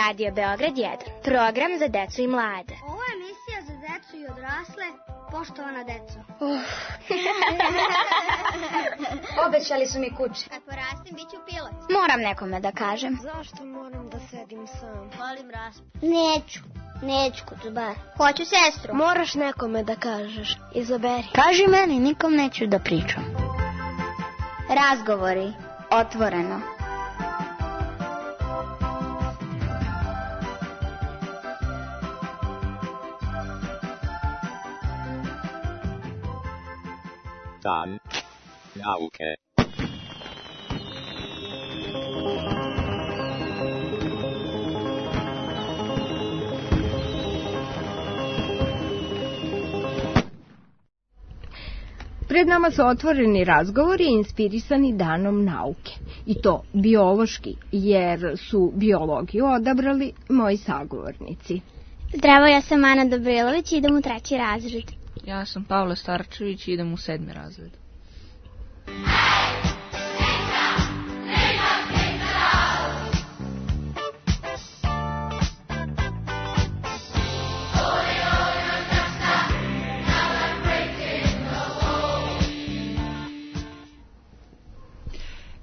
Radio Beograd 1, program za decu i mlade. Ovo je emisija za decu i odrasle, poštovana deco. Obećali su mi kuće. Kad porastim, bit ću pilot. Moram nekome da kažem. Zašto moram da sedim sam? Volim raspad. Neću kucubar. Hoću sestru. Moraš nekome da kažeš. Izaberi. Kaži meni, nikom neću da pričam. Razgovori, otvoreno. Dan nauke. Pred nama su otvoreni razgovori inspirisani danom nauke. I to biološki, jer su biologiju odabrali moji sagovornici. Zdravo, ja sam Ana Dobrilović i idem u 3. razred. Ja sam Pavle Starčević i idem u 7. razred.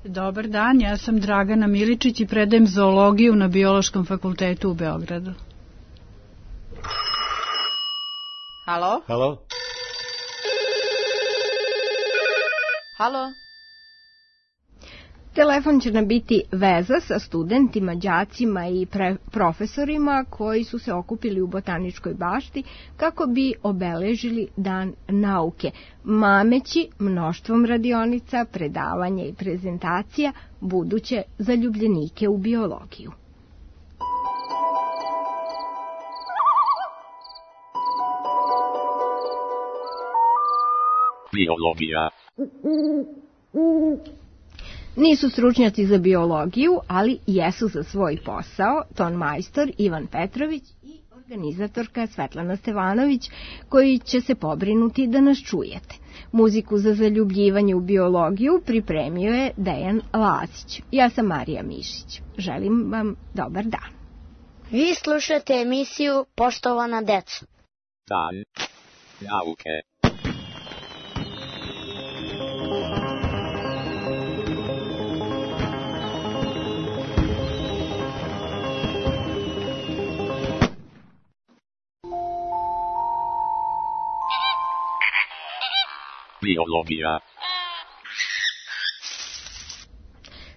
Dobar dan, ja sam Dragana Miličić i predajem zoologiju na Biološkom fakultetu u Beogradu. Halo? Halo? Halo? Telefon će nam biti veza sa studentima, đacima i profesorima koji su se okupili u Botaničkoj bašti kako bi obeležili Dan nauke, mameći mnoštvom radionica, predavanja i prezentacija buduće zaljubljenike u biologiju. Biologija. Nisu stručnjaci za biologiju, ali jesu za svoj posao tonmajstor Ivan Petrović i organizatorka Svetlana Stevanović, koji će se pobrinuti da nas čujete. Muziku za zaljubljivanje u biologiju pripremio je Dejan Lazić. Ja sam Marija Mišić. Želim vam dobar dan. Vi slušate emisiju Poštovana deco. Dan nauke. Biologija.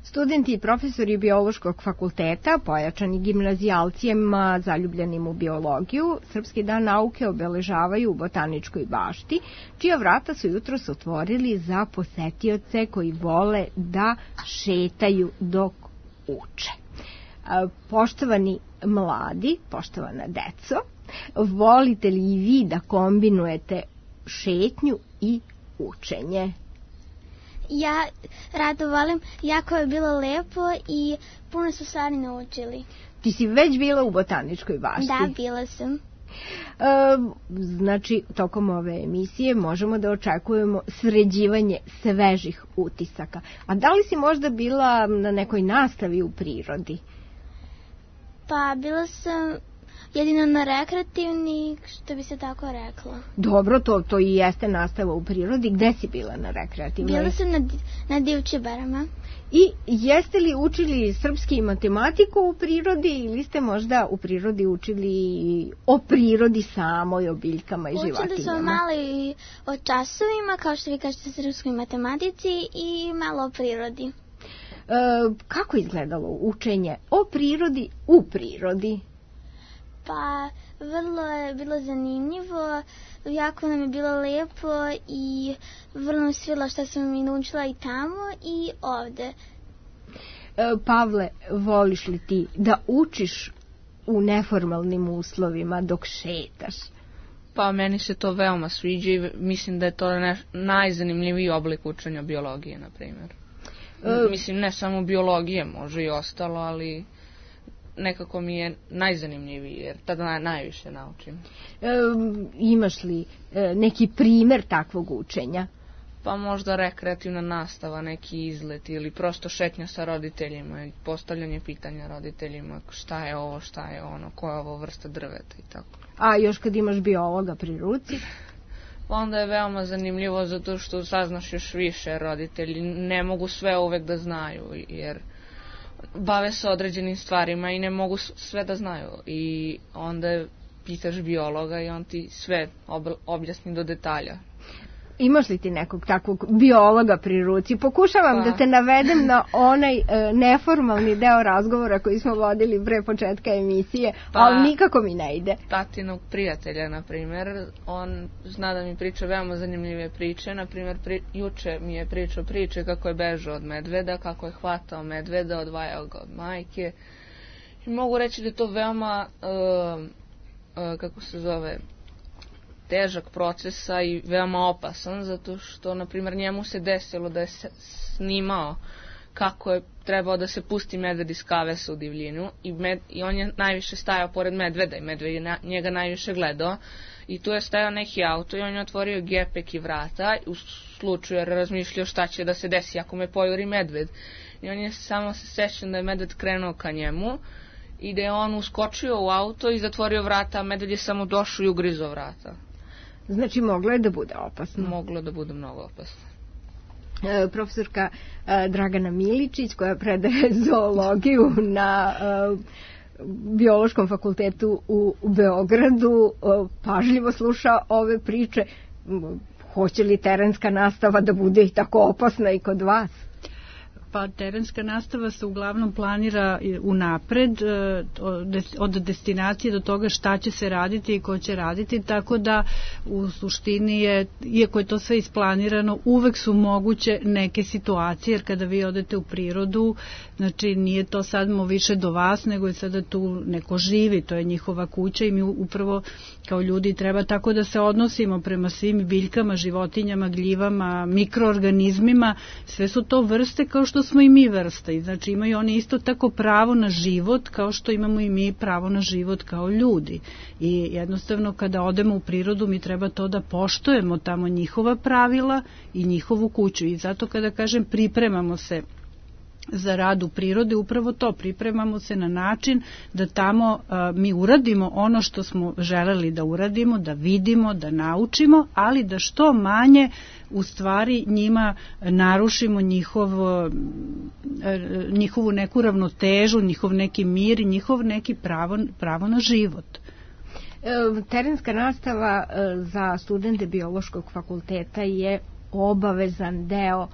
Studenti i profesori Biološkog fakulteta, pojačani gimnazijalcijama zaljubljenim u biologiju, Srpski dan nauke obeležavaju u Botaničkoj bašti, čija vrata su jutros otvorili za posetioce koji vole da šetaju dok uče. Poštovani mladi, poštovana deco, volite li i vi da kombinujete šetnju i učenje? Ja rado volim, jako je bilo lepo i puno su stvari naučili. Ti si već bila u Botaničkoj bašti? Da, bila sam. Znači, tokom ove emisije možemo da očekujemo sređivanje svežih utisaka. A da li si možda bila na nekoj nastavi u prirodi? Pa bila sam jedino na rekreativni, što bi se tako reklo. Dobro, to i jeste nastava u prirodi. Gde si bila na rekreativnoj? Bila sam na Divčebarama. I jeste li učili srpski i matematiku u prirodi ili ste možda u prirodi učili o prirodi samoj, o biljkama i životinjama? Učili smo malo i o časovima, kao što vi kažete, srpskoj matematici i malo o prirodi. Kako izgledalo učenje o prirodi u prirodi? Pa, vrlo je bilo zanimljivo, jako nam je bilo lepo i vrlo nam svila što sam i naučila i tamo i ovde. Pavle, voliš li ti da učiš u neformalnim uslovima dok šetaš? Pa meni se to veoma sviđa i mislim da je to najzanimljiviji oblik učenja biologije, na primjer. Mislim, ne samo biologije, može i ostalo, ali nekako mi je najzanimljiviji, jer tada najviše naučim. Imaš li neki primer takvog učenja? Pa možda rekreativna nastava, neki izlet ili prosto šetnja sa roditeljima i postavljanje pitanja roditeljima šta je ovo, šta je ono, koja je ovo vrsta drveta i tako. A još kad imaš biologa pri ruci? Onda je veoma zanimljivo zato što saznaš još više, roditelji ne mogu sve uvek da znaju jer bave se određenim stvarima i ne mogu sve da znaju i onda pitaš biologa i on ti sve objasni do detalja. Imaš li ti nekog takvog biologa pri ruci? Pokušavam da te navedem na onaj neformalni deo razgovora koji smo vodili pre početka emisije, ali nikako mi ne ide. Tatinog prijatelja, na primjer, on zna da mi priča veoma zanimljive priče. Na primjer, juče mi je pričao priče kako je bežao od medveda, kako je hvatao medveda, odvajao ga od majke. I mogu reći da je to veoma, kako se zove, težak procesa i veoma opasan, zato što, na primjer, njemu se desilo da je snimao kako je trebao da se pusti medved iz kavesa u divljinu i on je najviše stajao pored medveda i medved je njega najviše gledao i tu je stajao neki auto i on je otvorio gepek i vrata u slučaju jer razmišljao šta će da se desi ako me pojuri medved i on je samo se sećao da je medved krenuo ka njemu i da je on uskočio u auto i zatvorio vrata, a medved je samo došao i ugrizao vrata. Znači, moglo je da bude opasno. Moglo je da bude mnogo opasno. Profesorka Dragana Miličić, koja predaje zoologiju na Biološkom fakultetu u Beogradu, pažljivo sluša ove priče. Hoće li terenska nastava da bude i tako opasna i kod vas? Pa terenska nastava se uglavnom planira unapred od destinacije do toga šta će se raditi i ko će raditi, tako da u suštini je, iako je to sve isplanirano, uvek su moguće neke situacije, jer kada vi odete u prirodu, znači nije to sad više do vas, nego je sada tu neko živi, to je njihova kuća i mi upravo kao ljudi treba tako da se odnosimo prema svim biljkama, životinjama, gljivama, mikroorganizmima, sve su to vrste kao što smo i mi vrsta i znači imaju oni isto tako pravo na život kao što imamo i mi pravo na život kao ljudi i jednostavno kada odemo u prirodu mi treba to da poštujemo tamo njihova pravila i njihovu kuću i zato kada kažem pripremamo se za rad u prirodi, upravo to, pripremamo se na način da tamo mi uradimo ono što smo želeli da uradimo, da vidimo, da naučimo, ali da što manje u stvari njima narušimo njihovu neku ravnotežu, njihov neki mir i njihov neki pravo na život. Terenska nastava za studente Biološkog fakulteta je obavezan deo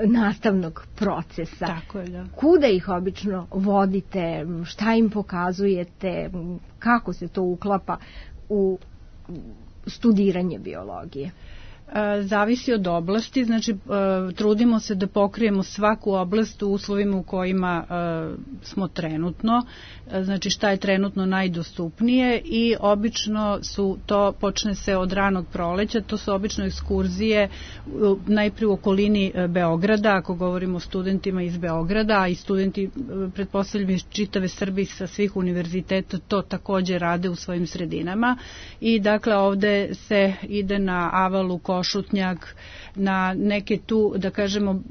nastavnog procesa. Tako je, da. Kuda ih obično vodite, šta im pokazujete, kako se to uklapa u studiranje biologije? Zavisi od oblasti, znači trudimo se da pokrijemo svaku oblast u uslovima u kojima smo trenutno, znači šta je trenutno najdostupnije i obično su to, počne se od ranog proleća, to su obično ekskurzije najprije u okolini Beograda, ako govorimo o studentima iz Beograda, a i studenti, pretpostavljam iz čitave Srbije sa svih univerziteta to takođe rade u svojim sredinama i dakle ovde se ide na Avalu, Košutnjak, na neke tu, da kažemo,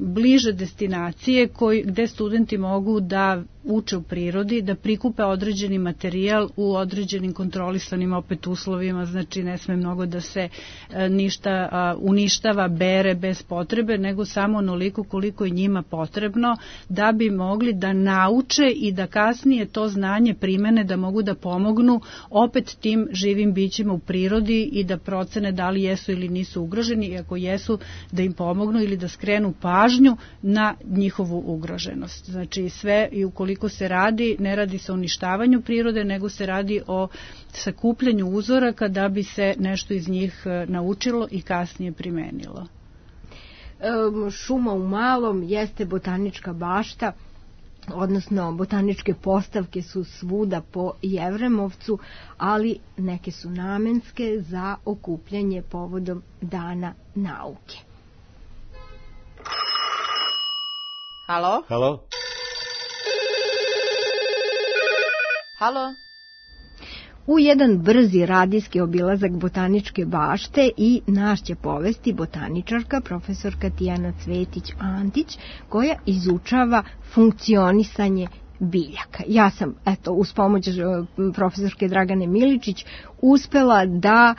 bliže destinacije gde studenti mogu da uče u prirodi, da prikupe određeni materijal u određenim kontrolisanim opet uslovima, znači ne sme mnogo da se ništa uništava, bere bez potrebe, nego samo onoliko koliko je njima potrebno da bi mogli da nauče i da kasnije to znanje primene, da mogu da pomognu opet tim živim bićima u prirodi i da procene da li jesu ili nisu ugroženi i ako jesu da im pomognu ili da skrenu pažnju na njihovu ugroženost. Znači sve i ukoliko se radi, ne radi se o uništavanju prirode, nego se radi o sakupljanju uzoraka da bi se nešto iz njih naučilo i kasnije primenilo. Šuma u malom jeste botanička bašta, odnosno botaničke postavke su svuda po Jevremovcu, ali neke su namenske za okupljanje povodom Dana nauke. Halo? Halo? Halo? u jedan brzi radijski obilazak botaničke bašte i nas će povesti botaničarka profesorka Tijana Cvetić-Antić koja izučava funkcionisanje biljaka. Ja sam, eto, uz pomoć profesorke Dragane Miličić uspela da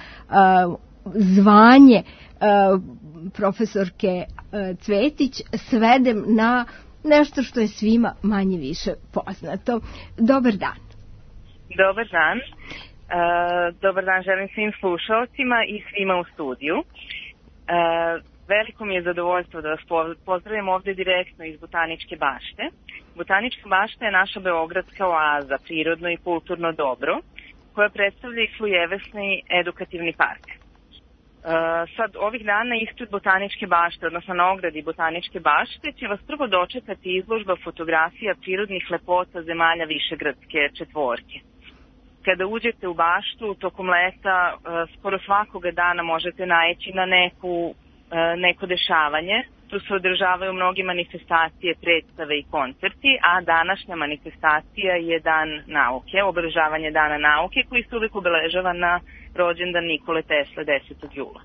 zvanje profesorke Cvetić svedem na nešto što je svima manje više poznato. Dobar dan. Dobar dan. Dobar dan želim svim slušalcima i svima u studiju. Veliko mi je zadovoljstvo da vas pozdravim ovde direktno iz Botaničke bašte. Botanička bašta je naša beogradska oaza, prirodno i kulturno dobro, koja predstavlja i svojevrsni edukativni park. Sad, ovih dana ispred Botaničke bašte, odnosno na ogradi Botaničke bašte, će vas prvo dočekati izložba fotografija prirodnih lepota zemalja Višegradske četvorke. Kada uđete u baštu, tokom leta, skoro svakoga dana možete naići na neko dešavanje. Tu se održavaju mnoge manifestacije, predstave i koncerti, a današnja manifestacija je Dan nauke, obeležavanje Dana nauke, koji se uvek obeležava na rođendan Nikole Tesle 10. jula.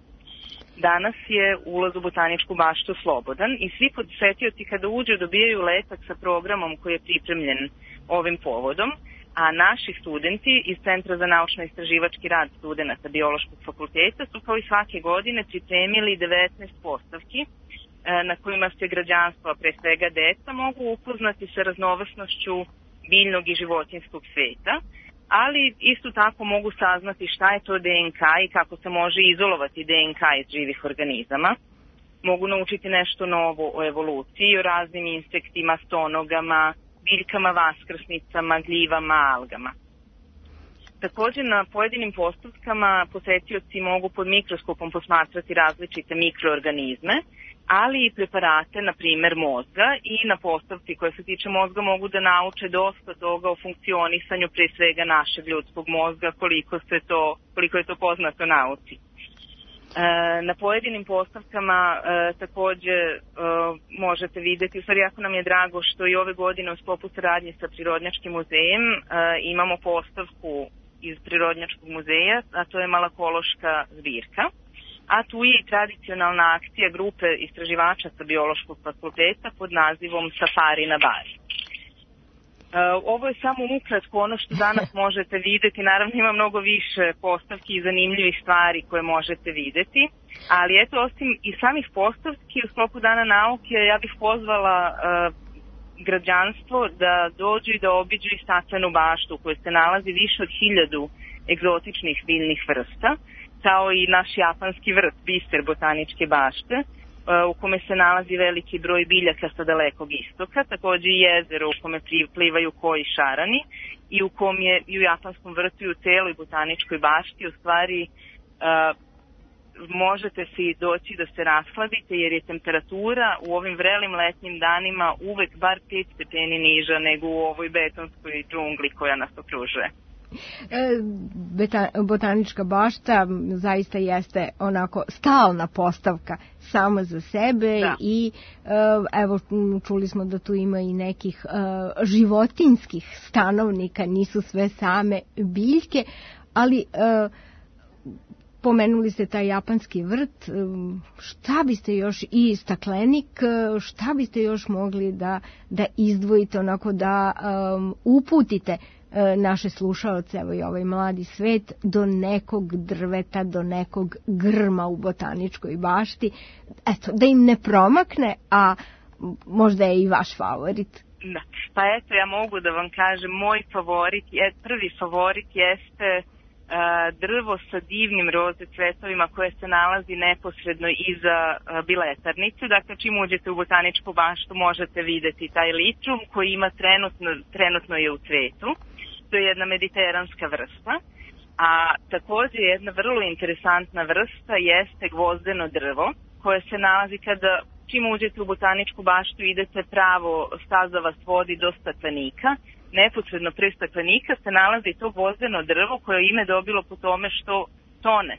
Danas je ulaz u Botaničku baštu slobodan i svi posetioci kada uđu dobijaju letak sa programom koji je pripremljen ovim povodom, a naši studenti iz Centra za naučno-istraživački rad studenata Biološkog fakulteta su kao i svake godine pripremili 19 postavki na kojima se građanstvo, a pre svega deca, mogu upoznati sa raznovrsnošću biljnog i životinjskog sveta, ali isto tako mogu saznati šta je to DNK i kako se može izolovati DNK iz živih organizama. Mogu naučiti nešto novo o evoluciji, o raznim insektima, stonogama, biljkama, vaskrsnicama, gljivama, algama. Također na pojedinim postavkama posetioci mogu pod mikroskopom posmatrati različite mikroorganizme, ali i preparate, na primer mozga, i na postavci koje se tiče mozga mogu da nauče dosta toga o funkcionisanju pre svega našeg ljudskog mozga, koliko je to poznato nauci. Na pojedinim postavkama takođe možete videti, u stvari jako nam je drago što i ove godine u sklopu saradnje sa Prirodnjačkim muzejem imamo postavku iz Prirodnjačkog muzeja, a to je malakološka zbirka. A tu je i tradicionalna akcija grupe istraživača sa Biološkog fakulteta pod nazivom Safari na Bari. Ovo je samo ukratko ono što danas možete videti. Naravno ima mnogo više postavki i zanimljivih stvari koje možete videti, ali eto, osim i samih postavki u sklopu Dana nauke, ja bih pozvala građanstvo da dođu i da obiđu i staklenu baštu u kojoj se nalazi više od 1000 egzotičnih biljnih vrsta, kao i naš japanski vrt, biser Botaničke bašte, u kome se nalazi veliki broj biljaka sa dalekog istoka, takođe i jezero u kome plivaju koji šarani i u kom je i u japanskom vrtu i u celoj Botaničkoj bašti u stvari možete si doći da se rasladite jer je temperatura u ovim vrelim letnjim danima uvek bar 5 stepeni niža nego u ovoj betonskoj džungli koja nas okružuje. Botanička bašta zaista jeste onako stalna postavka sama za sebe, da. I evo čuli smo da tu ima i nekih životinjskih stanovnika, nisu sve same biljke, ali pomenuli ste taj japanski vrt, šta biste još i staklenik, šta biste još mogli da izdvojite, onako da uputite naše slušaoce, evo i ovaj mladi svet, do nekog drveta, do nekog grma u Botaničkoj bašti, eto, da im ne promakne, a možda je i vaš favorit. Da. Pa eto, ja mogu da vam kažem, moj favorit, prvi favorit jeste drvo sa divnim roze cvetovima koje se nalazi neposredno iza biletarnice. Dakle, čim uđete u Botaničku baštu možete videti taj litrum koji ima trenutno je u cvetu. To je jedna mediteranska vrsta. A takođe jedna vrlo interesantna vrsta jeste gvozdeno drvo koje se nalazi kada čim uđete u Botaničku baštu idete pravo, staza vas vodi do staklenika. Neposredno pre staklenika se nalazi to gvozdeno drvo koje je ime dobilo po tome što tone.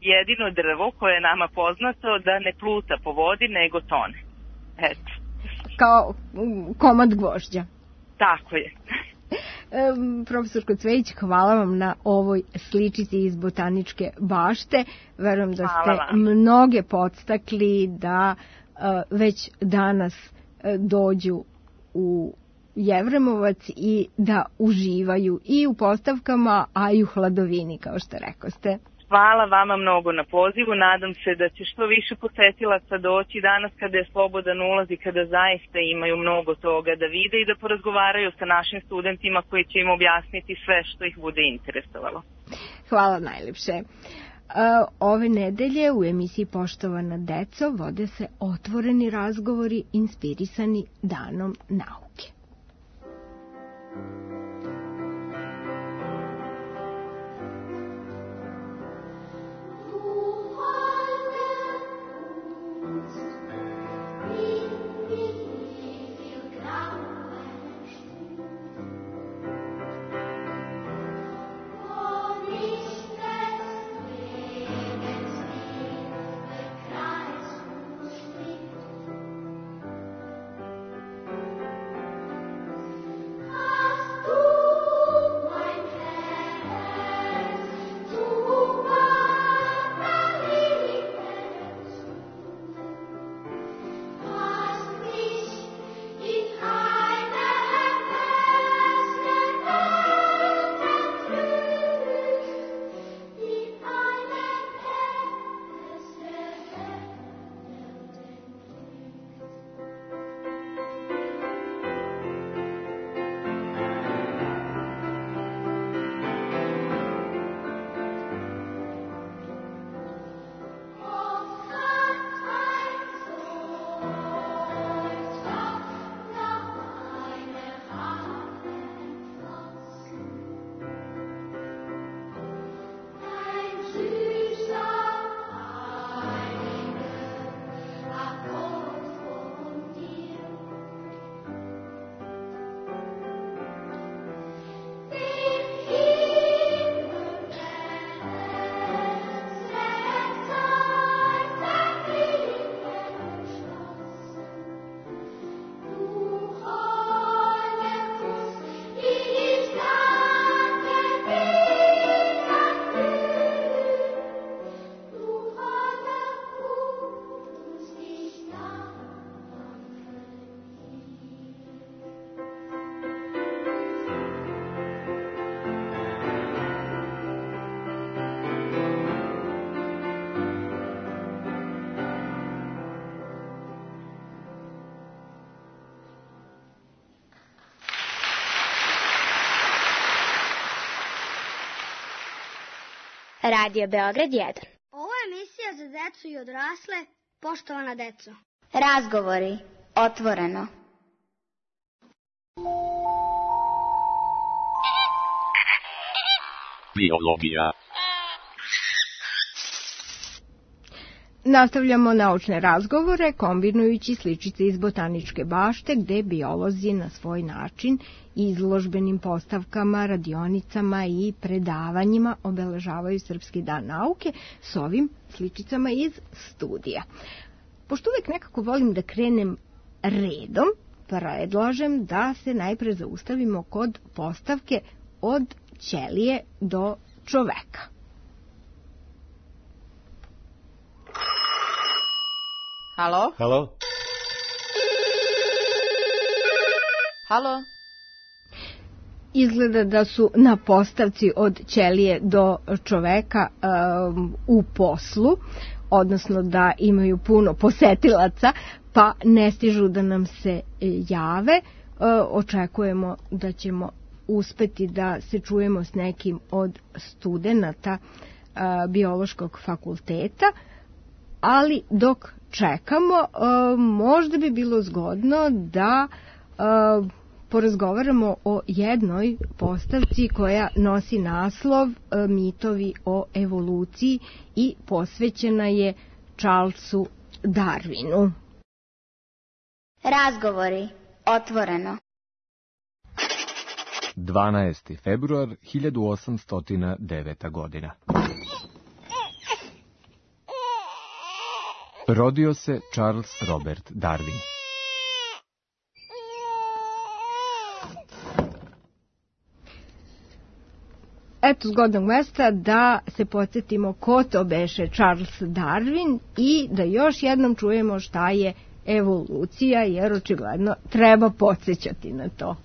Jedino drvo koje je nama poznato da ne pluta po vodi nego tone. Eto. Kao komad gvožđa. Tako je. Profesorko Cvejić, hvala vam na ovoj sličici iz Botaničke bašte. Verujem da ste mnoge podstakli da već danas dođu u Jevremovac i da uživaju i u postavkama, a i u hladovini, kao što rekoste. Hvala vama mnogo na pozivu, nadam se da će što više posetilaca doći danas kada je slobodan ulaz i kada zaista imaju mnogo toga da vide i da porazgovaraju sa našim studentima koji će im objasniti sve što ih bude interesovalo. Hvala najlepše. Ove nedelje u emisiji Poštovana deco vode se otvoreni razgovori inspirisani Danom nauke. Radio Beograd 1. Ovo je emisija za decu i odrasle, poštovana deco. Razgovori, otvoreno. Biologija. Nastavljamo naučne razgovore kombinujući sličice iz Botaničke bašte gde biolozi na svoj način izložbenim postavkama, radionicama i predavanjima obeležavaju Srpski dan nauke s ovim sličicama iz studija. Pošto uvek nekako volim da krenem redom, predlažem da se najpre zaustavimo kod postavke od ćelije do čoveka. Halo? Halo? Halo? Izgleda da su na postavci od ćelije do čoveka u poslu, odnosno da imaju puno posetilaca, pa ne stižu da nam se jave. Očekujemo da ćemo uspeti da se čujemo s nekim od studenata biološkog fakulteta, ali dok čekamo, možda bi bilo zgodno da porazgovaramo o jednoj postavci koja nosi naslov Mitovi o evoluciji i posvećena je Charlesu Darwinu. Razgovori, otvoreno. 12. februar 1809. godina. Rodio se Charles Robert Darwin. eto zgodnog mesta da se podsjetimo ko to beše Charles Darwin i da još jednom čujemo šta je evolucija, jer očigledno treba podsjećati na to.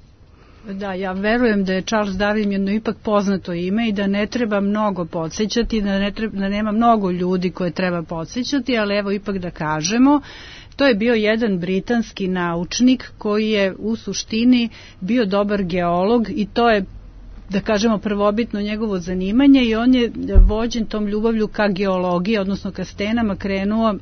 Da, ja verujem da je Charles Darwin jedno ipak poznato ime i da ne treba mnogo podsjećati, da nema mnogo ljudi koje treba podsjećati, ali evo ipak da kažemo, to je bio jedan britanski naučnik koji je u suštini bio dobar geolog i to je, da kažemo, prvobitno njegovo zanimanje i on je vođen tom ljubavlju ka geologiji, odnosno ka stenama, krenuo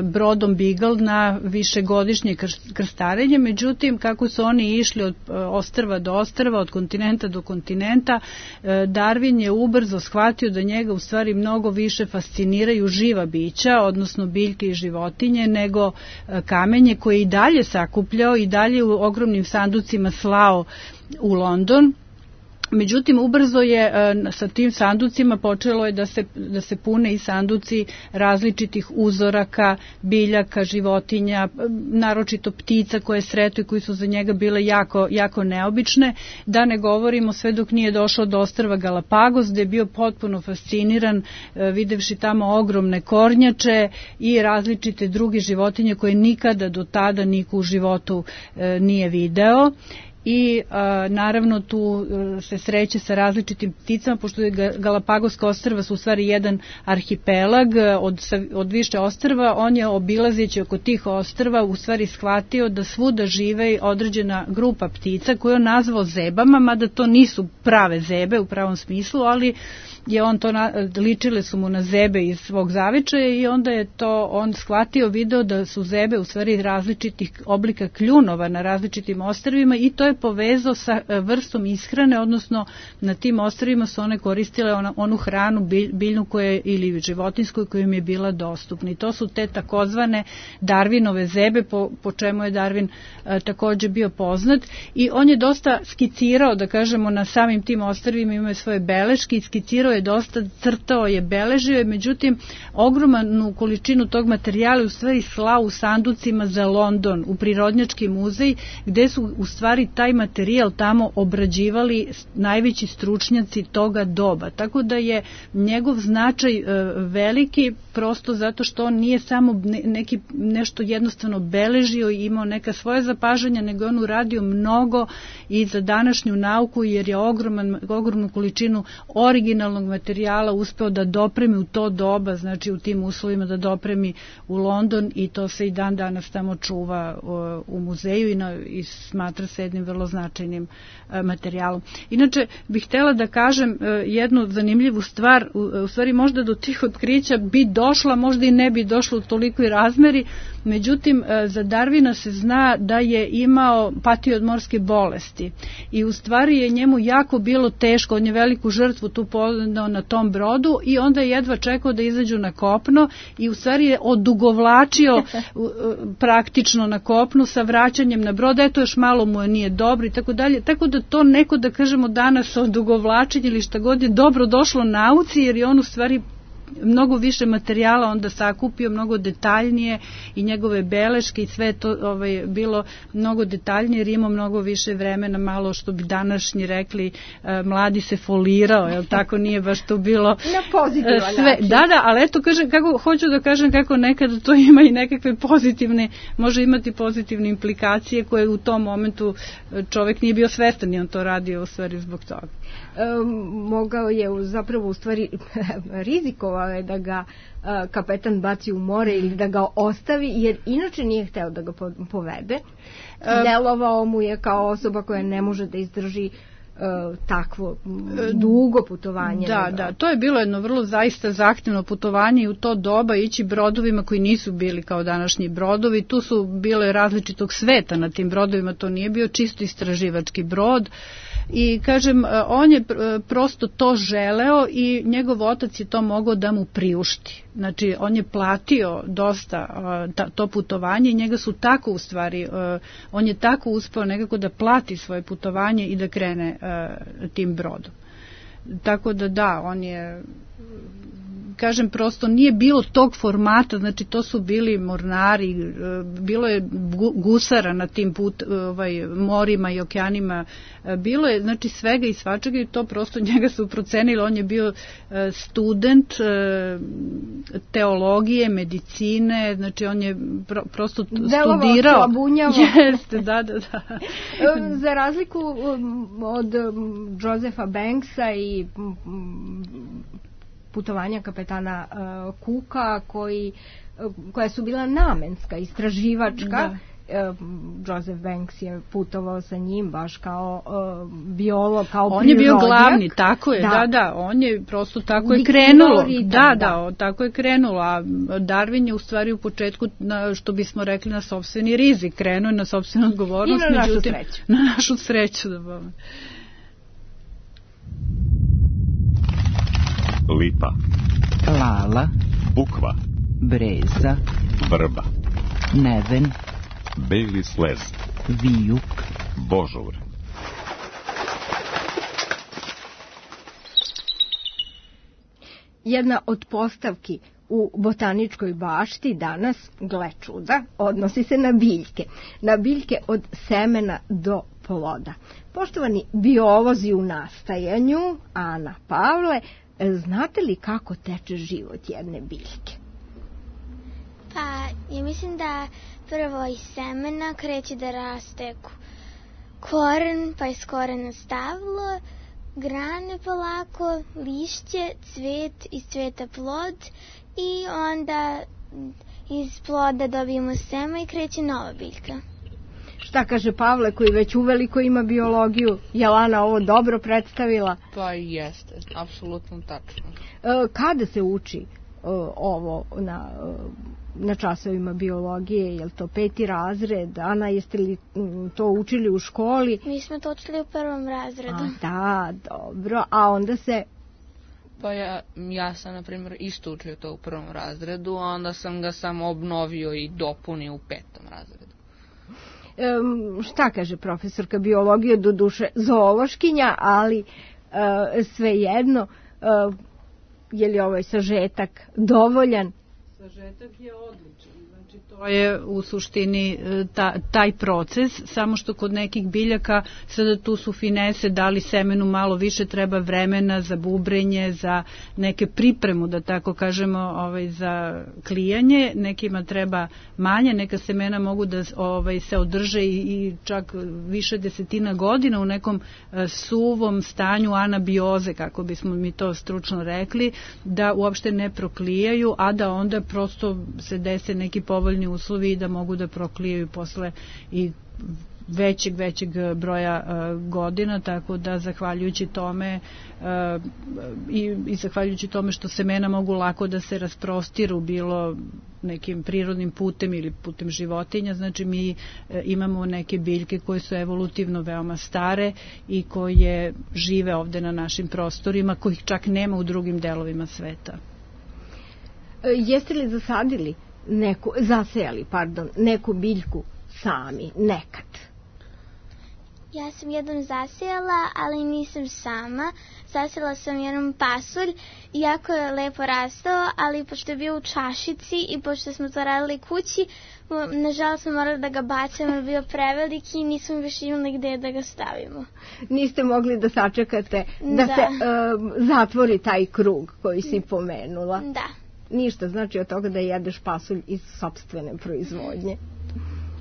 brodom Beagle na višegodišnje krstarenje, međutim kako su oni išli od ostrva do ostrva, od kontinenta do kontinenta, Darwin je ubrzo shvatio da njega u stvari mnogo više fasciniraju živa bića, odnosno biljke i životinje, nego kamenje koje i dalje sakupljao i dalje u ogromnim sanducima slao u London. Međutim, ubrzo je sa tim sanducima počelo je da se pune i sanduci različitih uzoraka, biljaka, životinja, naročito ptica koje sretuje, koji su za njega bile jako neobične, da ne govorimo sve dok nije došao do ostrva Galapagos, gde je bio potpuno fasciniran videvši tamo ogromne kornjače i različite druge životinje koje nikada do tada niko u životu nije video. I naravno tu se sreće sa različitim pticama, pošto je Galapagoska ostrva su u stvari jedan arhipelag od više ostrva, on je obilazeći oko tih ostrva u stvari shvatio da svuda žive određena grupa ptica koju on nazvao zebama, mada to nisu prave zebe u pravom smislu, ali je on to ličile su mu na zebe iz svog zavičaja i onda je to on shvatio, video da su zebe u stvari različitih oblika kljunova na različitim ostrvima i to je povezao sa vrstom ishrane, odnosno na tim ostrvima su one koristile onu hranu biljnu ili životinsku koja im je bila dostupna. I to su te takozvane Darwinove zebe, po čemu je Darwin takođe bio poznat i on je dosta skicirao, da kažemo, na samim tim ostrvima, imao je svoje beleške i skicirao je dosta, crtao je, beležio je, međutim ogromnu količinu tog materijala u stvari slao u sanducima za London, u Prirodnjački muzej, gde su u stvari taj materijal tamo obrađivali najveći stručnjaci toga doba. Tako da je njegov značaj veliki, prosto zato što on nije samo nešto jednostavno beležio i imao neka svoja zapažanja, nego je on uradio mnogo i za današnju nauku, jer je ogromnu količinu originalnog materijala uspeo da dopremi u to doba, znači u tim uslovima da dopremi u London i to se i dan danas tamo čuva u muzeju i smatra se jednim vrlo značajnim materijalom. Inače, bih htjela da kažem jednu zanimljivu stvar, u stvari možda do tih otkrića bi došla, možda i ne bi došla u tolikoj razmeri, međutim za Darwina se zna da je patio od morske bolesti i u stvari je njemu jako bilo teško, on je veliku žrtvu tu podneo na tom brodu i onda je jedva čekao da izađu na kopno i u stvari je odugovlačio praktično na kopnu sa vraćanjem na brod, eto još malo mu nije dobro i tako dalje, tako da to neko, da kažemo danas, odugovlačenje ili šta god je dobro došlo nauci, jer je on u stvari mnogo više materijala onda sakupio, mnogo detaljnije i njegove beleške i sve to bilo mnogo detaljnije, jer imao mnogo više vremena, malo što bi današnji rekli mladi se folirao, jel tako, nije baš to bilo na pozitivan sve. način. Da, ali eto hoću da kažem kako nekada to ima i nekakve pozitivne, može imati pozitivne implikacije koje u tom momentu čovek nije bio svestan i on to radio u stvari zbog toga. Mogao je zapravo u stvari rizikovao je da ga kapetan baci u more ili da ga ostavi, jer inače nije hteo da ga povede. Delovao mu je kao osoba koja ne može da izdrži takvo dugo putovanje. Da, to je bilo jedno vrlo zaista zahtevno putovanje i u to doba ići brodovima koji nisu bili kao današnji brodovi, tu su bile različitog sveta na tim brodovima, to nije bio čisto istraživački brod. I kažem, on je prosto to želeo i njegov otac je to mogao da mu priušti. Znači, on je platio dosta to putovanje i njega su tako u stvari, on je tako uspeo nekako da plati svoje putovanje i da krene tim brodom. Tako da on je kažem, prosto nije bilo tog formata, znači to su bili mornari, bilo je gusara na tim morima i okeanima, bilo je znači svega i svačega i to prosto njega su procenili, on je bio student teologije, medicine, znači on je prosto studirao. Jeste, da. Za razliku od Josepha Banksa i putovanja kapetana Cooka koja su bila namenska, istraživačka. Joseph Banks je putovao sa njim baš kao biolog, kao prirodnjak. On je bio glavni, tako je, da, on je prosto tako je krenulo. Tako je krenulo, a Darwin je u stvari u početku, što bismo rekli, na sopstveni rizik, krenuo je na sopstvenu odgovornost. I na našu sreću. Na našu sreću, da bome. Lipa, Lala, Bukva, Breza, Vrba, Neven, Beli slez, Vijuk, Božur. Jedna od postavki u botaničkoj bašti danas, gle čuda, odnosi se na biljke. Na biljke od semena do ploda. Poštovani biolozi u nastajanju, Ana, Pavle, znate li kako teče život jedne biljke? Pa, ja mislim da prvo iz semena kreće da raste koren, pa iz korena stablo, grane polako, lišće, cvet, iz cveta plod i onda iz ploda dobijemo seme i kreće nova biljka. Šta kaže Pavle koji već uveliko ima biologiju? Je Lana ovo dobro predstavila? Pa jeste, apsolutno tačno. Kada se uči ovo na časovima biologije? Je li to 5. razred? Ana, jeste li to učili u školi? Mi smo to učili u 1. razredu. Da, dobro. A onda se... Pa ja sam, na primjer, isto učio to u 1. razredu, a onda sam ga samo obnovio i dopunio u 5. razredu. Šta kaže profesorka biologije, do duše zoološkinja, ali svejedno, je li ovaj sažetak dovoljan? Sažetak je odličan, znači to je u suštini taj proces, samo što kod nekih biljaka sada tu su finese, da li semenu malo više treba vremena za bubrenje, za neke pripremu, da tako kažemo, za klijanje, nekima treba manje, neka semena mogu da se održe i čak više desetina godina u nekom suvom stanju anabioze, kako bismo mi to stručno rekli, da uopšte ne proklijaju, a da onda prosto se dese neki povoljni uslovi i da mogu da proklijaju posle i većeg broja godina, tako da zahvaljujući tome i zahvaljujući tome što semena mogu lako da se rasprostiru bilo nekim prirodnim putem ili putem životinja, znači mi imamo neke biljke koje su evolutivno veoma stare i koje žive ovde na našim prostorima, kojih čak nema u drugim delovima sveta. Jeste li zasejali neku biljku sami, nekad? Ja sam jednom zasejala, ali nisam sama. Zasejala sam jednom pasulj, jako je lepo rastao, ali pošto je bio u čašici i pošto smo to radili kući, nažalost smo morali da ga bacimo, jer bio preveliki i nismo više imali gde da ga stavimo. Niste mogli da sačekate da se zatvori taj krug koji si pomenula? Da. ništa, znači od toga da jedeš pasulj iz sopstvene proizvodnje.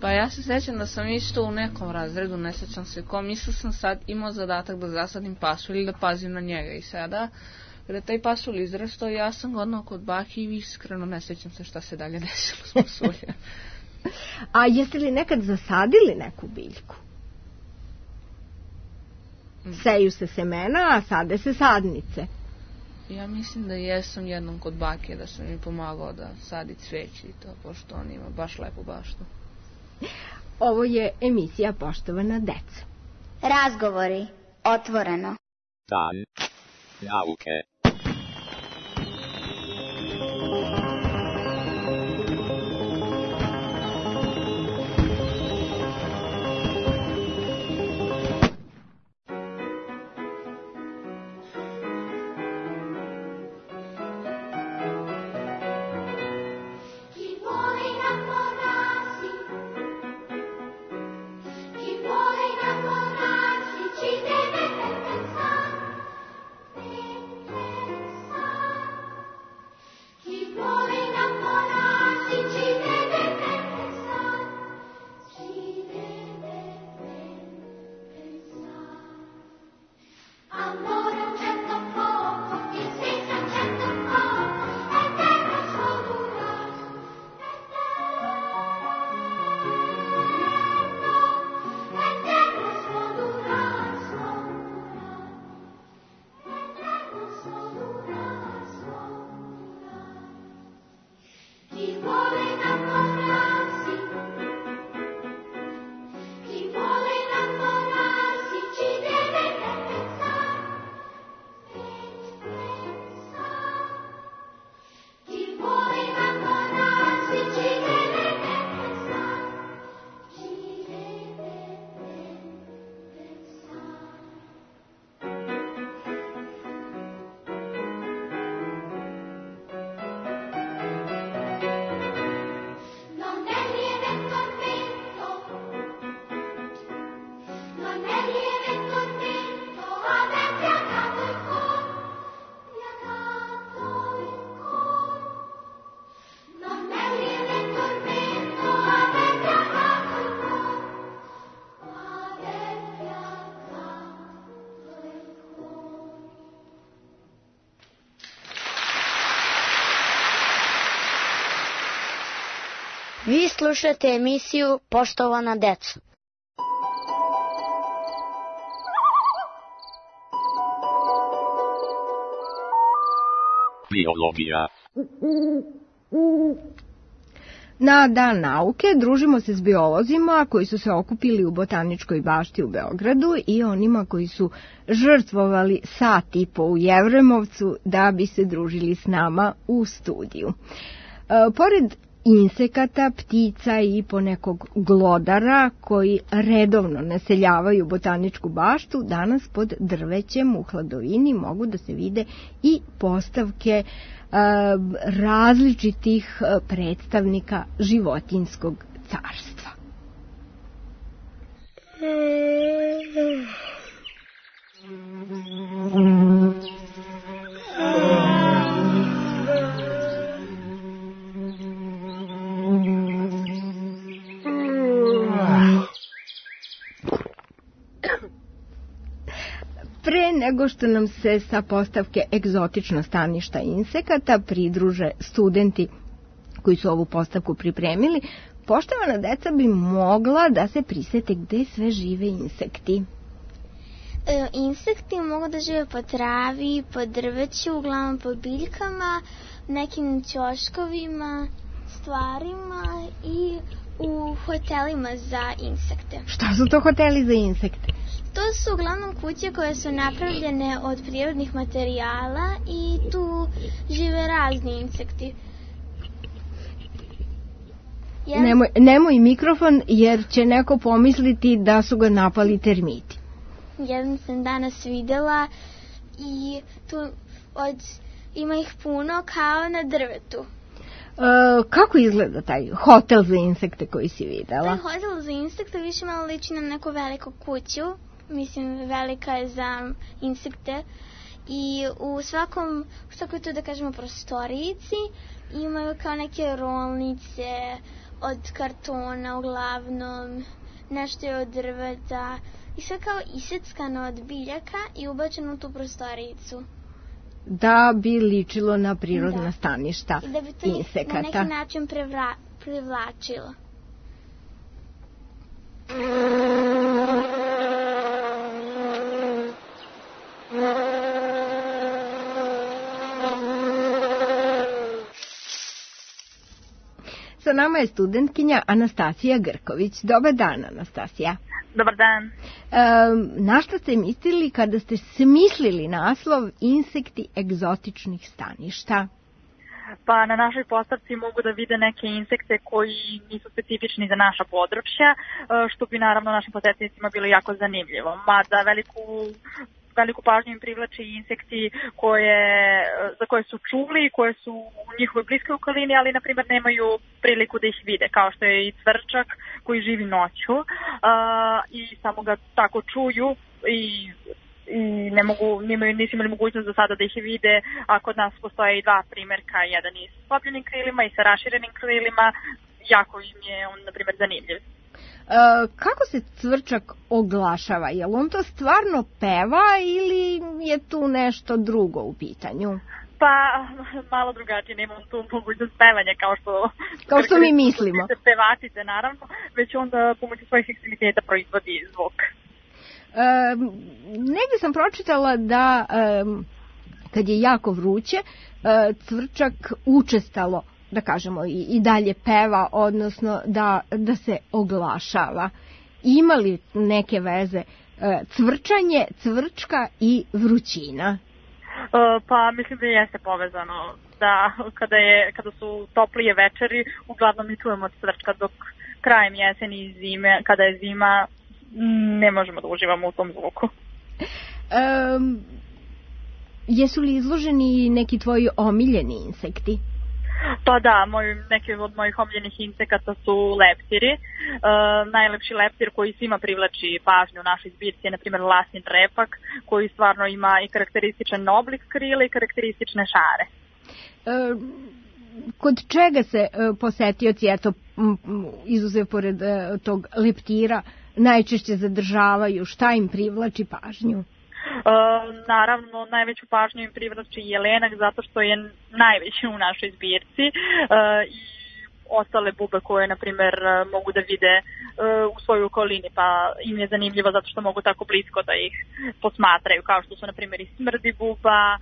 Pa ja se sjećam da sam isto u nekom razredu, ne sjećam se kom, mislio sam sad imao zadatak da zasadim pasulj ili da pazim na njega i sada kada taj pasulj izrastao, ja sam ga odnao kod baki i iskreno ne sjećam se šta se dalje desilo s pasuljem. A jeste li nekad zasadili neku biljku? Seju se semena, a sade se sadnice. Ja mislim da jesam jednom kod bake, da sam mi pomagao da sadi cveće i to, pošto on ima baš lepu baštu. Ovo je emisija Poštovana deca. Razgovori otvoreno. Dan nauke. Vi slušate emisiju Poštovana deco. Biologija. Na Dan nauke družimo se s biolozima koji su se okupili u Botaničkoj bašti u Beogradu i onima koji su žrtvovali sat i po u Jevremovcu da bi se družili s nama u studiju. Pored insekata, ptica i ponekog glodara koji redovno naseljavaju Botaničku baštu, danas pod drvećem u hladovini mogu da se vide i postavke različitih predstavnika životinjskog carstva. Pre nego što nam se sa postavke egzotično staništa insekata pridruže studenti koji su ovu postavku pripremili, poštovana deca bi mogla da se prisete gde sve žive insekti. Insekti mogu da žive po travi, po drveću, uglavnom po biljkama, nekim ćoškovima, stvarima i u hotelima za insekte. Šta su to hoteli za insekte? To su uglavnom kuće koje su napravljene od prirodnih materijala i tu žive razni insekti. Nemoj mikrofon jer će neko pomisliti da su ga napali termiti. Jedan sam danas videla i tu ima ih puno kao na drvetu. Kako izgleda taj hotel za insekte koji si videla? Taj hotel za insekte više malo liči na neku veliku kuću. Mislim, velika je za insekte. I u svakoj tu, da kažemo, prostorijici imaju kao neke rolnice od kartona uglavnom, nešto je od drveta i sve kao iseckano od biljaka i ubačeno u tu prostorijicu. Da bi ličilo na prirodna staništa insekata. I da bi to na neki način privlačilo. Sa nama je studentkinja Anastasija Grković. Dobar dan, Anastasija. Dobar dan. Na što ste mislili kada ste smislili naslov Insekti egzotičnih staništa? Pa na našoj postavci mogu da vide neke insekte koji nisu specifični za naša područja, što bi naravno našim posetnicima bilo jako zanimljivo. Mada veliku pažnju im privlači insekti za koje su čuli, koje su u njihovoj bliskoj okolini, ali na primjer nemaju priliku da ih vide, kao što je i cvrčak koji živi noću i samo ga tako čuju i nisu imali mogućnost do sada da ih vide, a kod nas postoje i dva primjerka, jedan i s slopljenim krilima i sa raširenim krilima, jako im je on, na primjer, zanimljiv. Kako se cvrčak oglašava? Je li on to stvarno peva ili je tu nešto drugo u pitanju? Pa, malo drugačije, nemam tu mogućnost pevanja kao što mi mislimo. Pevačice, naravno, već onda pomoću svojih ekstremiteta proizvodi zvuk. Negdje sam pročitala da kad je jako vruće, cvrčak učestalo, da kažemo, i dalje peva, odnosno da se oglašava. Ima li neke veze cvrčanje, cvrčka i vrućina? Pa mislim da jeste povezano, da kada su toplije večeri, uglavnom mi čujemo cvrčka, dok krajem jeseni i zime, kada je zima, ne možemo da uživamo u tom zvuku. Jesu li izloženi neki tvoji omiljeni insekti? Pa da, neki od mojih omiljenih insekata su leptiri. Najlepši leptir koji svima privlači pažnju u našoj zbirci je, na primjer, lasnin repak, koji stvarno ima i karakterističan oblik krila i karakteristične šare. Kod čega se posetioci, izuzev pored tog leptira, najčešće zadržavaju? Šta im privlači pažnju? Naravno, najveću pažnju im privlači jelenak zato što je najveći u našoj zbirci i ostale bube koje, na primer, mogu da vide u svojoj okolini, pa im je zanimljivo zato što mogu tako blisko da ih posmatraju, kao što su, na primer, i smrdi buba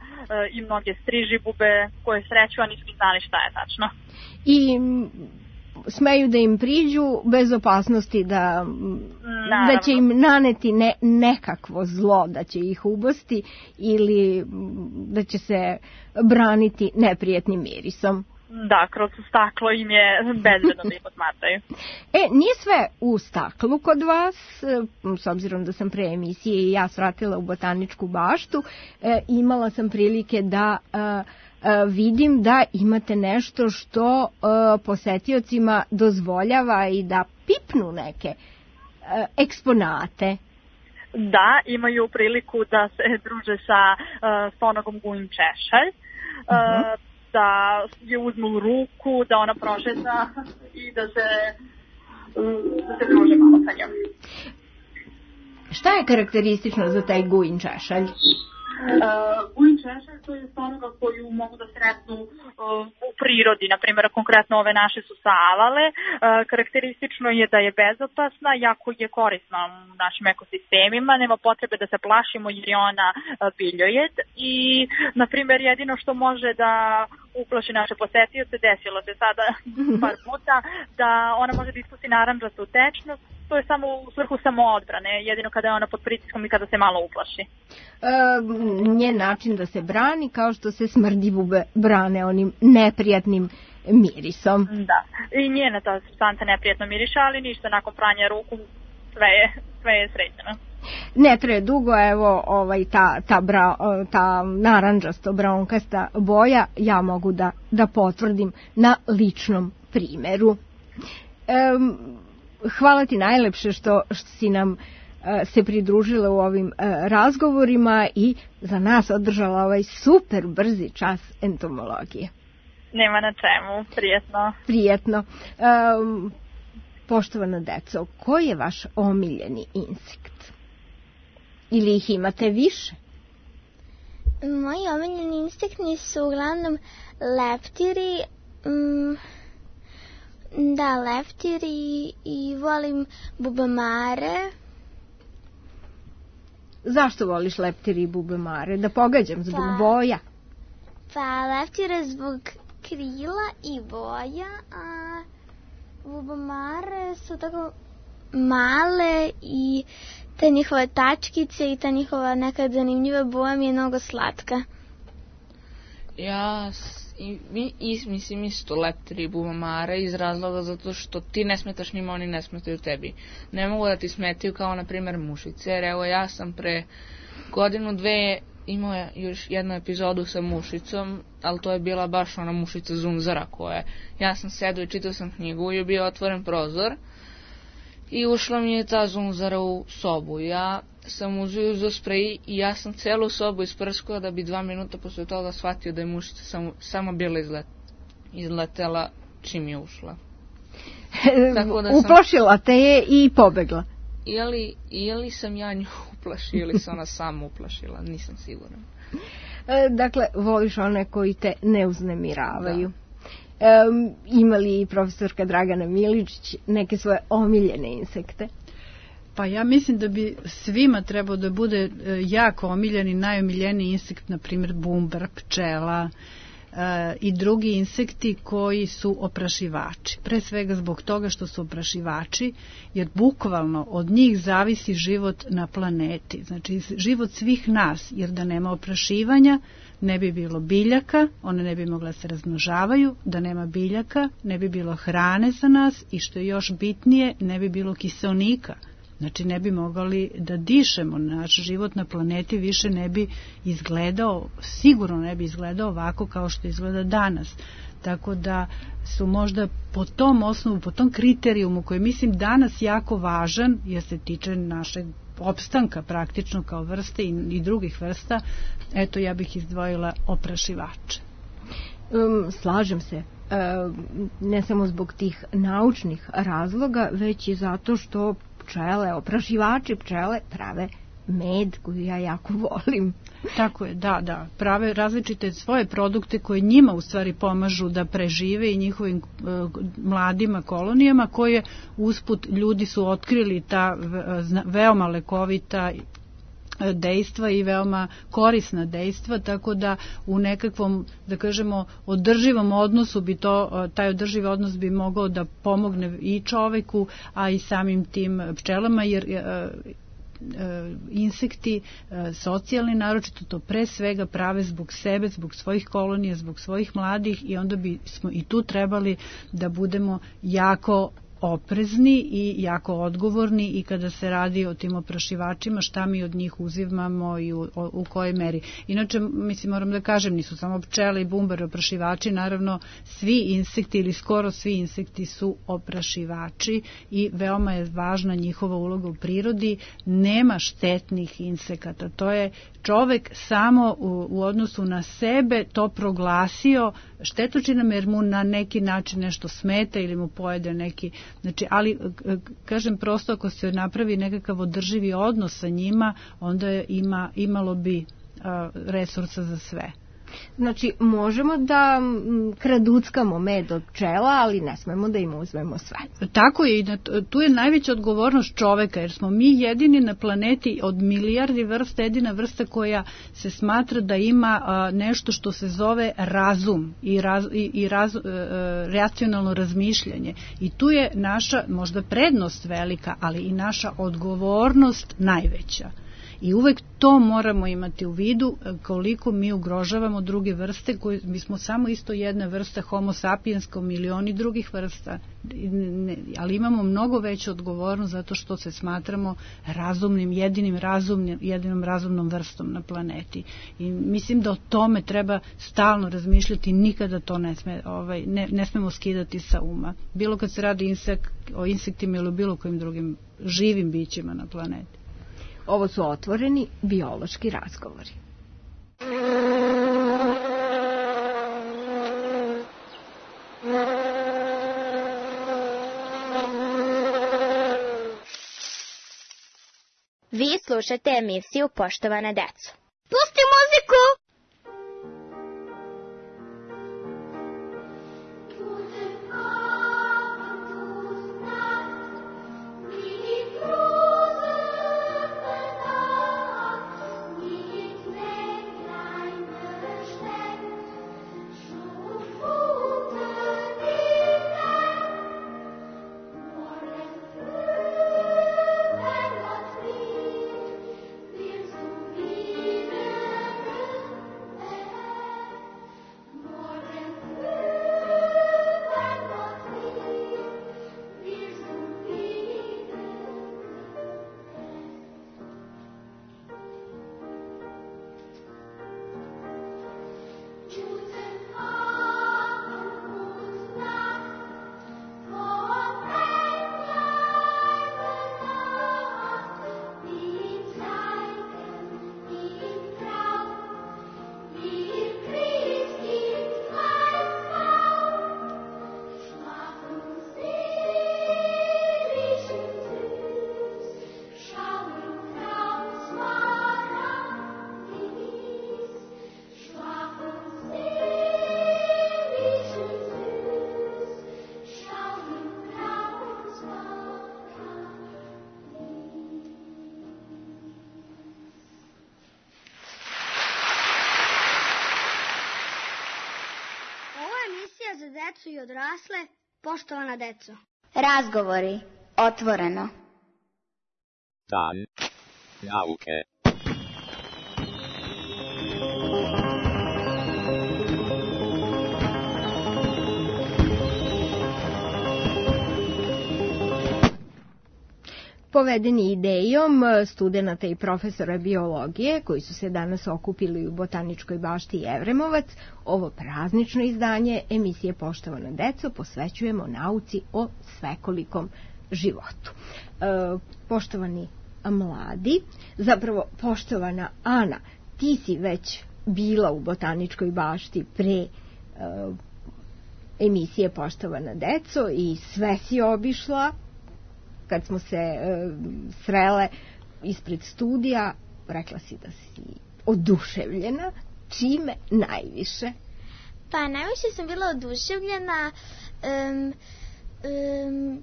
i mnoge striži bube koje sreću, a nisu znali šta je tačno. I smeju da im priđu bez opasnosti da će im naneti nekakvo zlo, da će ih ubosti ili da će se braniti neprijetnim mirisom. Da, kroz staklo im je bezbedno da ih posmatraju. Nije sve u staklu kod vas, s obzirom da sam pre emisije i ja svratila u botaničku baštu, imala sam prilike da vidim da imate nešto što posetiocima dozvoljava i da pipnu neke eksponate. Da, imaju priliku da se druže sa stonogom gujin češalj, da je uzmu u ruku, da ona prošeta i da se druže malo sa njom. Šta je karakteristično za taj gujin češalj? Gujin češalj to je stonoga koju mogu da sretnu u prirodi, na primjer konkretno ove naše su savale. Karakteristično je da je bezopasna, jako je korisna u našim ekosistemima, nema potrebe da se plašimo jer je ona biljojed i na primjer jedino što može da uplaši naše posetioce, desilo se sada par puta da ona može da ispusti narandžastu tečnost. To je samo u svrhu samoodbrane, jedino kada je ona pod pritiskom i kada se malo uplaši. Njen način da se brani kao što se smrdi bube brane onim neprijatnim mirisom. Da, i njena ta supstanca neprijatno miriša, ali ništa, nakon pranja ruku sve je sređeno. Ne traje dugo, evo ta narandžasto braunkasta boja ja mogu da potvrdim na ličnom primeru. Hvala ti najlepše što si nam se pridružila u ovim razgovorima i za nas održala ovaj super brzi čas entomologije. Nema na čemu, prijetno. Prijetno. Poštovana deco, koji je vaš omiljeni insekt? Ili ih imate više? Moji omiljeni insekti su uglavnom leptiri, leptiri i volim bubamare. Zašto voliš leptiri i bubamare? Da pogađam, zbog boja? Pa leptire zbog krila i boja, a bubamare su tako male i te njihove tačkice i ta njihova nekad zanimljiva boja mi je mnogo slatka. Ja mislim isto leptiri i bubamare iz razloga zato što ti ne smetaš njima, oni ne smetaju tebi. Ne mogu da ti smetaju kao na primjer mušice, jer evo ja sam pre godinu, dve imao još jednu epizodu sa mušicom, ali to je bila baš ona mušica zunzara koja ja sam sedao i čitao sam knjigu i je bio otvoren prozor i ušla mi je ta zunzara u sobu. Ja sam uzeo sprej i ja sam celu sobu isprskao da bi 2 minuta posle toga shvatio da je mušica samo bila izletela čim je ušla. Uplašila te je i pobegla. Ili sam ja nju uplašila ili se ona sama uplašila, nisam siguran. Dakle, voliš one koji te ne uznemiravaju. Ima li profesorka Dragana Miličić neke svoje omiljene insekte? Pa ja mislim da bi svima trebao da bude jako omiljen i najomiljeniji insekt, na primjer bumbar, pčela i drugi insekti koji su oprašivači. Pre svega zbog toga što su oprašivači, jer bukvalno od njih zavisi život na planeti. Znači život svih nas, jer da nema oprašivanja ne bi bilo biljaka, one ne bi mogla se razmnožavaju, da nema biljaka ne bi bilo hrane za nas i što je još bitnije, ne bi bilo kiseonika. Znači ne bi mogli da dišemo, naš život na planeti više ne bi izgledao, sigurno ne bi izgledao ovako kao što izgleda danas. Tako da su možda po tom osnovu, po tom kriterijumu koji mislim danas jako važan, jer se tiče našeg opstanka praktično kao vrste i drugih vrsta, eto ja bih izdvojila oprašivače. Slažem se. Ne samo zbog tih naučnih razloga, već i zato što oprašivači pčele prave med koju ja jako volim. Tako je, da. Prave različite svoje produkte koje njima u stvari pomažu da prežive i njihovim mladima kolonijama koje usput ljudi su otkrili ta veoma lekovita dejstva i veoma korisna dejstva, tako da u nekakvom, da kažemo, održivom odnosu bi taj održiv odnos bi mogao da pomogne i čoveku, a i samim tim pčelama, jer insekti socijalni naročito to pre svega prave zbog sebe, zbog svojih kolonija, zbog svojih mladih i onda bismo i tu trebali da budemo jako oprezni i jako odgovorni i kada se radi o tim oprašivačima, šta mi od njih uzimamo i u kojoj meri. Inače, mislim, moram da kažem, nisu samo pčele i bumbari oprašivači, naravno svi insekti ili skoro svi insekti su oprašivači i veoma je važna njihova uloga u prirodi. Nema štetnih insekata, to je čovek samo u odnosu na sebe to proglasio štetočinom jer mu na neki način nešto smeta ili mu pojede neki, znači, ali kažem prosto ako se napravi nekakav održivi odnos sa njima, onda imalo bi resursa za sve. Znači, možemo da kraduckamo med od pčela, ali ne smemo da im uzmemo sve. Tako je, i tu je najveća odgovornost čoveka, jer smo mi jedini na planeti od milijardi vrsta, jedina vrsta koja se smatra da ima nešto što se zove razum i racionalno razmišljanje. I tu je naša možda prednost velika, ali i naša odgovornost najveća. I uvek to moramo imati u vidu koliko mi ugrožavamo druge vrste, koje mi smo samo isto jedna vrsta Homo sapiens kao milioni drugih vrsta, ali imamo mnogo veću odgovornost zato što se smatramo razumnim, jedinom razumnom vrstom na planeti. I mislim da o tome treba stalno razmišljati, nikada to ne smemo skidati sa uma. Bilo kad se radi o insektima ili bilo kojim drugim živim bićima na planeti. Ovo su otvoreni biološki razgovori. Vi slušate emisiju Poštovana deco. Pusti muziku! Za decu i odrasle, poštovana deco. Razgovori, otvoreno. Dan nauke. Povedeni idejom studenata i profesora biologije koji su se danas okupili u Botaničkoj bašti Jevremovac, ovo praznično izdanje emisije Poštovana deco posvećujemo nauci o svekolikom životu. Poštovani mladi, zapravo poštovana Ana, ti si već bila u Botaničkoj bašti pre emisije Poštovana deco i sve si obišla. Kad smo se srele ispred studija, rekla si da si oduševljena. Čime najviše? Pa najviše sam bila oduševljena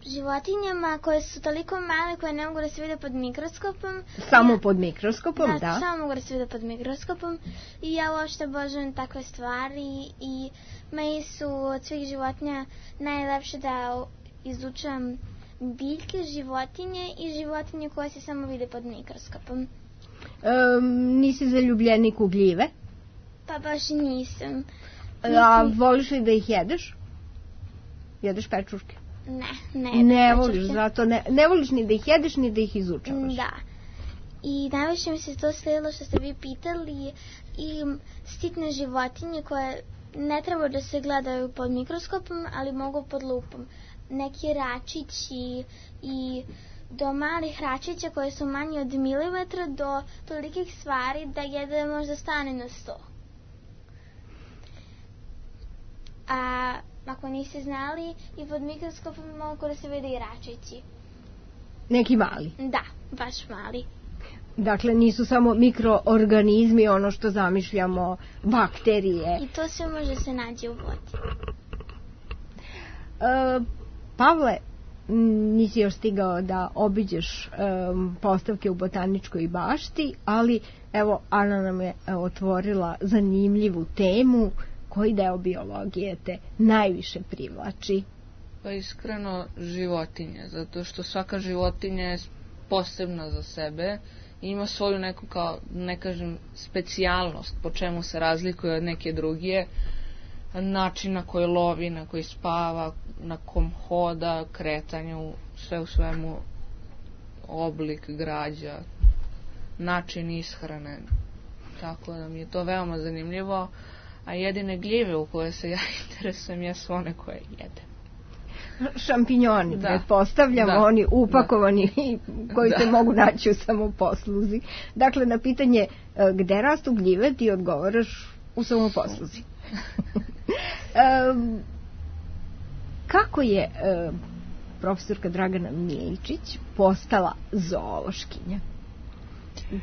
životinjama koje su toliko male koje ne mogu da se vide pod mikroskopom. Samo pod mikroskopom, da. Samo mogu da se vide pod mikroskopom i ja uopšte obožavam takve stvari i meni su od svih životinja najlepše da izučavam biljke, životinje i životinje koje se samo vide pod mikroskopom. Nisi zaljubljenik u gljive? Pa baš nisam. A voliš li da ih jedeš? Jedeš pečurke? Ne voliš, zato ne voliš ni da ih jedeš ni da ih izučavaš. Da. I najviše mi se to sledilo što ste vi pitali i sitne životinje koje ne treba da se gledaju pod mikroskopom, ali mogu pod lupom. Neki račići i do malih račića koje su manji od milimetra do tolikih stvari da jedan možda stane na 100. A ako niste znali, i pod mikroskopom mogu da se vide i račići. Neki mali? Da, baš mali. Dakle, nisu samo mikroorganizmi, ono što zamišljamo, bakterije. I to sve može se naći u vodi. Pavle, nisi još stigao da obiđeš postavke u Botaničkoj bašti, ali evo, Ana nam je otvorila zanimljivu temu. Koji deo biologije te najviše privlači? Pa iskreno životinje, zato što svaka životinja je posebna za sebe i ima svoju neku, kao ne kažem, specijalnost po čemu se razlikuje od neke druge, način na koji lovi, na koji spava, na kom hoda, kretanju, sve u svemu, oblik građa, način ishrane, tako da mi je to veoma zanimljivo. A jedine gljive u koje se ja interesujem jesu one koje jedem. Šampinjoni, pretpostavljamo, oni upakovani koji se mogu naći u samoposluzi. Dakle, na pitanje gde rastu gljive ti odgovaraš u samoposluzi. Kako je profesorka Dragana Miličić postala zoološkinja?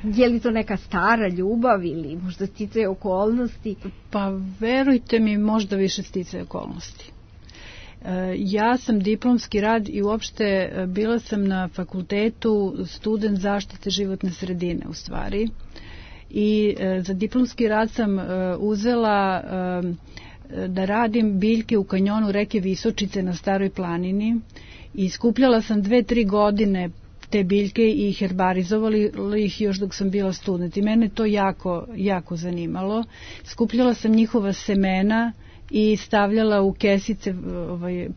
Je li to neka stara ljubav ili možda sticaje okolnosti? Pa verujte mi, možda više sticaje okolnosti. Ja sam diplomski rad i uopšte bila sam na fakultetu student zaštite životne sredine u stvari. I za diplomski rad sam uzela da radim biljke u kanjonu reke Visočice na Staroj planini i skupljala sam 2-3 godine te biljke i herbarizovali ih još dok sam bila student. I mene to jako zanimalo. Skupljala sam njihova semena i stavljala u kesice,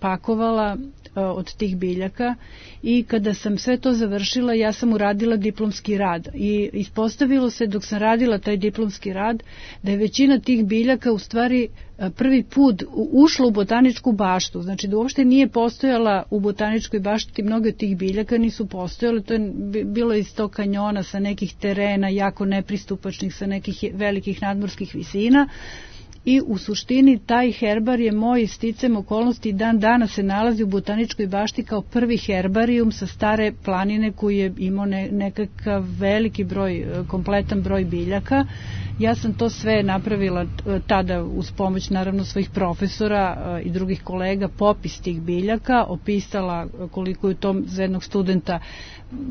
pakovala od tih biljaka i kada sam sve to završila ja sam uradila diplomski rad i ispostavilo se dok sam radila taj diplomski rad da je većina tih biljaka u stvari prvi put ušla u botaničku baštu, znači da uopšte nije postojala u botaničkoj bašti, mnoge od tih biljaka nisu postojale, to je bilo iz tog kanjona sa nekih terena jako nepristupačnih, sa nekih velikih nadmorskih visina. I u suštini taj herbar je moj sticajem okolnosti dan danas se nalazi u botaničkoj bašti kao prvi herbarijum sa Stare planine koji je imao nekakav veliki broj, kompletan broj biljaka. Ja sam to sve napravila tada uz pomoć naravno svojih profesora i drugih kolega, popis tih biljaka, opisala koliko je to za jednog studenta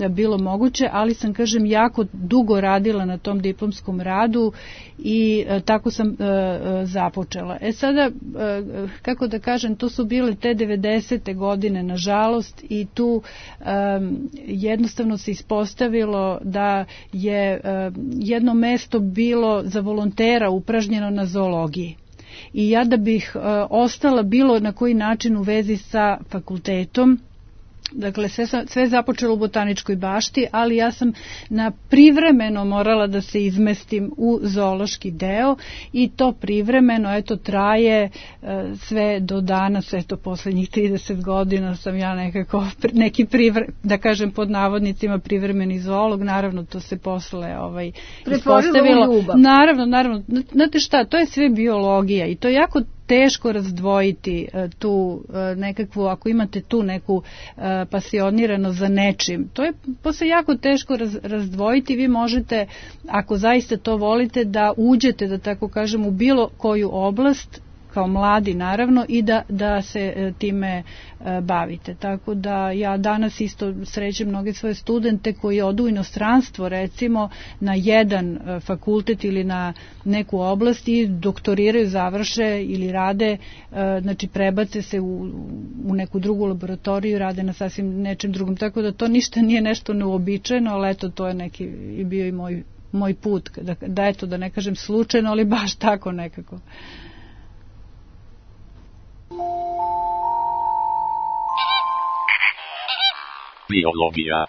bilo moguće, ali sam, kažem, jako dugo radila na tom diplomskom radu i tako sam započela. Sada, kako da kažem, to su bile te 90. godine, nažalost, i tu jednostavno se ispostavilo da je jedno mesto bilo za volontera upražnjeno na zoologiji. I ja da bih ostala bilo na koji način u vezi sa fakultetom, dakle, sve je započelo u botaničkoj bašti, ali ja sam na privremeno morala da se izmestim u zoološki deo i to privremeno, eto, traje sve do danas, eto, poslednjih 30 godina sam ja nekako neki da kažem pod navodnicima privremeni zoolog, naravno to se posle ispostavilo. U ljubav. Naravno, znate šta, to je sve biologija i to je jako teško razdvojiti tu nekakvu, ako imate tu neku pasioniranost za nečim, to je posle jako teško razdvojiti. Vi možete, ako zaista to volite, da uđete, da tako kažem, u bilo koju oblast, kao mladi naravno, i da se time bavite. Tako da ja danas isto srećem mnoge svoje studente koji odu u inostranstvo, recimo na jedan fakultet ili na neku oblast i doktoriraju, završe ili rade, znači prebace se u neku drugu laboratoriju, rade na sasvim nečem drugom. Tako da to ništa nije nešto neuobičajeno, ali eto, to je neki i bio i moj put, da eto, da ne kažem slučajno, ali baš tako nekako. Biologija.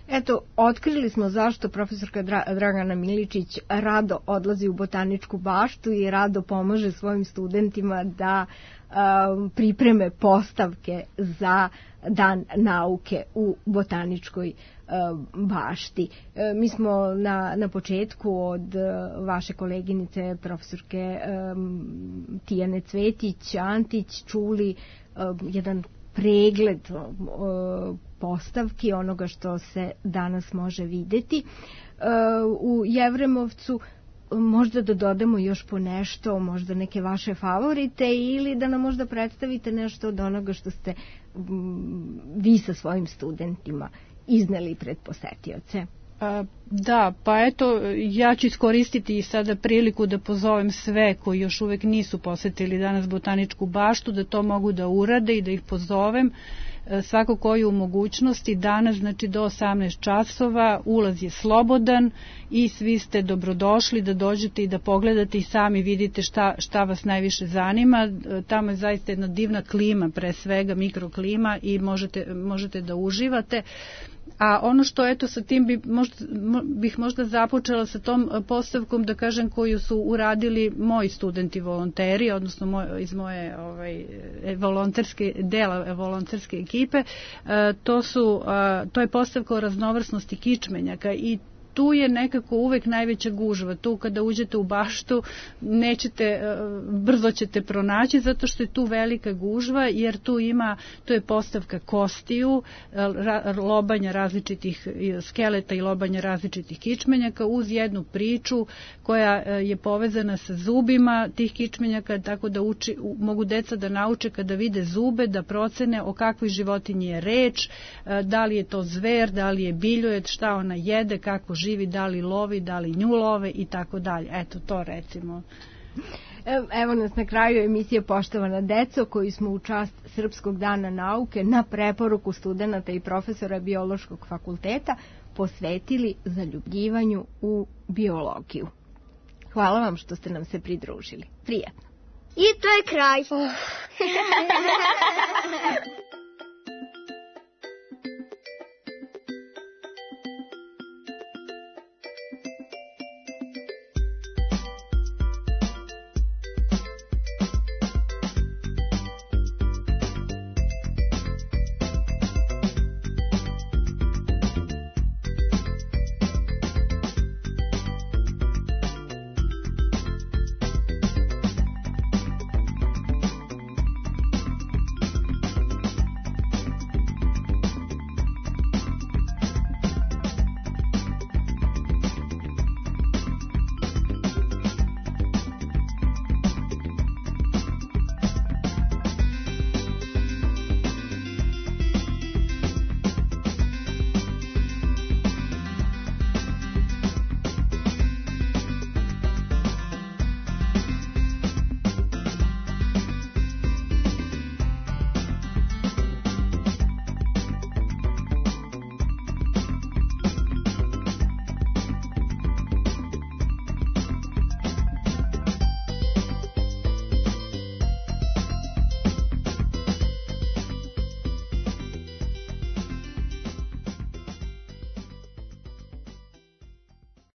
Eto, otkrili smo zašto profesorka Dragana Miličić rado odlazi u botaničku baštu i rado pomaže svojim studentima da pripreme postavke za Dan nauke u botaničkoj bašti. Mi smo na početku od vaše koleginice profesorke Tijane Cvetić-Antić čuli jedan pregled postavki onoga što se danas može videti u Jevremovcu. Možda da dodamo još po nešto, možda neke vaše favorite, ili da nam možda predstavite nešto od onoga što ste vi sa svojim studentima izneli pred posetioce. Da, pa eto, ja ću iskoristiti sada priliku da pozovem sve koji još uvek nisu posetili danas botaničku baštu, da to mogu da urade i da ih pozovem. Svako ko je u mogućnosti danas, znači do 18 časova, ulaz je slobodan i svi ste dobrodošli da dođete i da pogledate i sami vidite šta vas najviše zanima. Tamo je zaista jedna divna klima, pre svega mikroklima, i možete da uživate. A ono što, eto, sa tim bih možda započela sa tom postavkom, da kažem, koju su uradili moji studenti volonteri, odnosno iz moje volonterske ekipe. To je postavka o raznovrsnosti kičmenjaka i tu je nekako uvek najveća gužva. Tu kada uđete u baštu brzo ćete pronaći, zato što je tu velika gužva, jer tu je postavka kostiju, lobanja različitih skeleta i lobanja različitih kičmenjaka uz jednu priču koja je povezana sa zubima tih kičmenjaka, tako da mogu deca da nauče kada vide zube, da procene o kakvoj životinji je reč, da li je to zver, da li je biljojed, šta ona jede, kako živi, da li lovi, da li nju love i tako dalje. Eto, to recimo. Evo nas na kraju emisije Poštovana deco, koju smo u čast Srpskog dana nauke na preporuku studenata i profesora Biološkog fakulteta posvetili zaljubljivanju u biologiju. Hvala vam što ste nam se pridružili. Prijatno. I to je kraj.